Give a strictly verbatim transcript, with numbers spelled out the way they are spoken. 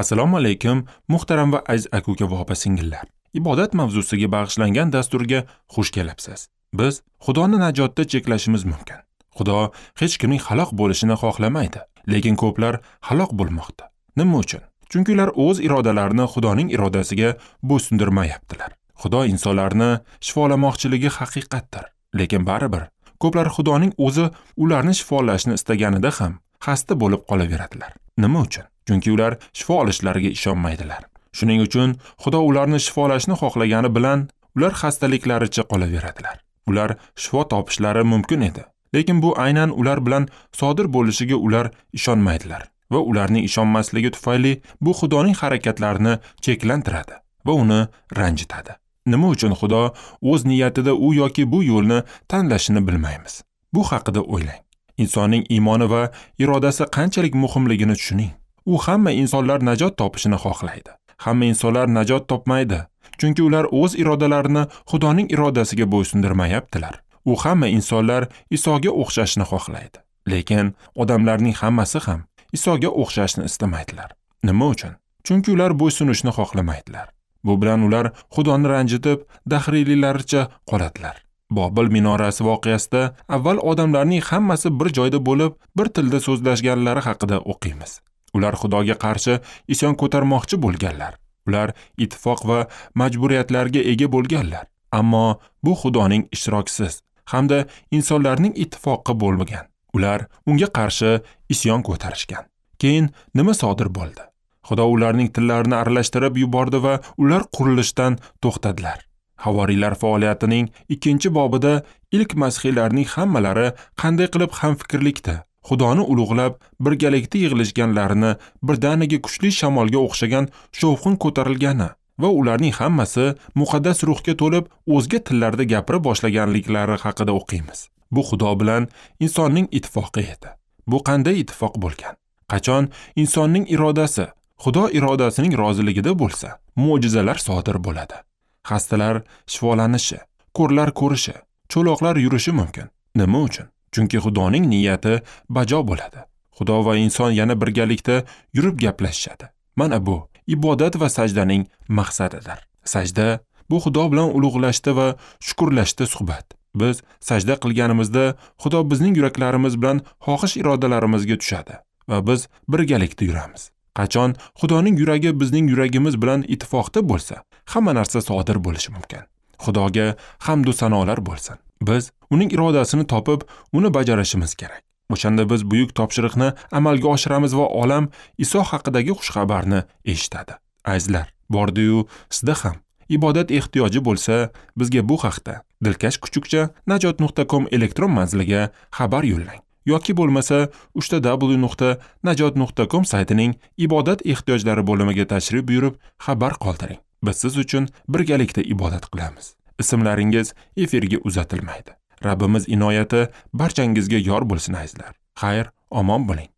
Assalomu alaykum, muhtaram va aziz aka-uka va opa-singillar. Ibodat mavzusiga bag'ishlangan dasturga xush kelibsiz. Biz Xudoni najotda cheklashimiz mumkin. Xudo hech kimning halok bo'lishini xohlamaydi, lekin ko'plar halok bo'lmoqda. Nima uchun? Chunki ular o'z irodalarini Xudoning irodasiga bo'ysundirmayaptilar. Xudo insonlarni shifolamoqchiligi haqiqatdir, lekin baribir ko'plar Xudoning o'zi ularni shifolashni istaganida ham xasta bo'lib qolaveradilar. Nima uchun? Chunki ular shifo olishlariga ishonmaydilar. Shuning uchun Xudo ularni shifolashni xohlagani bilan ular xastaliklaricha qolaveradilar. Ular shifo topishlari mumkin edi, lekin bu aynan ular bilan sodir bo'lishiga ular ishonmaydilar va ularning ishonmasligi tufayli bu Xudoning harakatlarini cheklantiradi va uni ranjitadi. Nima uchun Xudo o'z niyatida u yoki bu yo'lni tanlashini bilmaymiz. Bu haqida o'ylang. Insonning iymoni va irodasi qanchalik muhimligini tushuning. U hamma insonlar najot topishini xohlaydi. Hamma insonlar najot topmaydi, chunki ular o'z irodalarini Xudoning irodasiga bo'ysundirmayaptilar. U hamma insonlar Isoga o'xshashni xohlaydi, lekin odamlarning hammasi ham Isoga o'xshashni istamaydilar. Nima uchun? Chunki ular bo'ysunishni xohlamaydilar. Bu bilan ular Xudoni ranjitib, dahriyliklaricha qoladilar. Bobil minorasi voqeasida avval odamlarning hammasi bir joyda bo'lib, bir tilda so'zlashganlari haqida o'qiymiz. Ular Xudoga qarshi isyon ko'tarmoqchi bo'lganlar. Ular ittifoq va majburiyatlarga ega bo'lganlar. Ammo bu Xudoning ishtirokisiz hamda insonlarning ittifoqi bo'lmagan. Ular unga qarshi isyon ko'tarishgan. Keyin nima sodir bo'ldi? Xudo ularning tillarini aralashtirib yubordi va ular qurilishdan to'xtadilar. Havoriylar faoliyatining ikkinchi bobida ilk masihiylarning hammalari qanday qilib hamfikrlikda Xudoni ulug'lab birgalikda yig'ilishganlarini, birdaniga kuchli shamolga o'xshagan shovqin ko'tarilgani va ularning hammasi muqaddas ruhga to'lib o'zga tillarda gapira boshlaganliklari haqida o'qiymiz. Bu Xudo bilan insonning ittifoqi edi. Bu qanday ittifoq bo'lgan? Qachon insonning irodasi Xudo irodasining roziligida bo'lsa, mo'jizalar sodir bo'ladi. Xastalar shifolanishi, ko'rlar ko'rishi, cho'loqlar yurishi mumkin. Nima uchun? Chunki Xudoning niyati bajo bo'ladi. Xudo va inson yana birgalikda yurib gaplashishadi. Mana bu ibodat va sajdaning maqsadidir. Sajda bu Xudo bilan ulug'lashda va shukrlashda suhbat. Biz sajda qilganimizda Xudo bizning yuraklarimiz bilan xohish irodalarimizga tushadi va biz birgalikda yuramiz. Qachon Xudoning yuragi bizning yuragimiz bilan ittifoqda bo'lsa, hamma narsa sodir bo'lishi mumkin. Xudoga hamd va sanolar bo'lsin. Biz uning irodasini topib, uni bajarishimiz kerak. O'shanda biz buyuk topshiriqni amalga oshiramiz va olam Iso haqidagi xushxabarni eshitadi. Azizlar, bordi-yu sizda ham ibodat ehtiyoji bo'lsa, bizga bu haqda dilkash kuchukcha najot nuqta com elektron manziliga xabar yo'llang yoki bo'lmasa uch ta w nuqta najot nuqta com saytining ibodat ehtiyojlari bo'limiga tashrif buyurib xabar qoldiring. Biz siz uchun birgalikda ibodat qilamiz. Ismlaringiz efirga uzatilmaydi. Rabbimiz inoyati barchangizga yor bo'lsin azizlar. Xayr, omon bo'ling.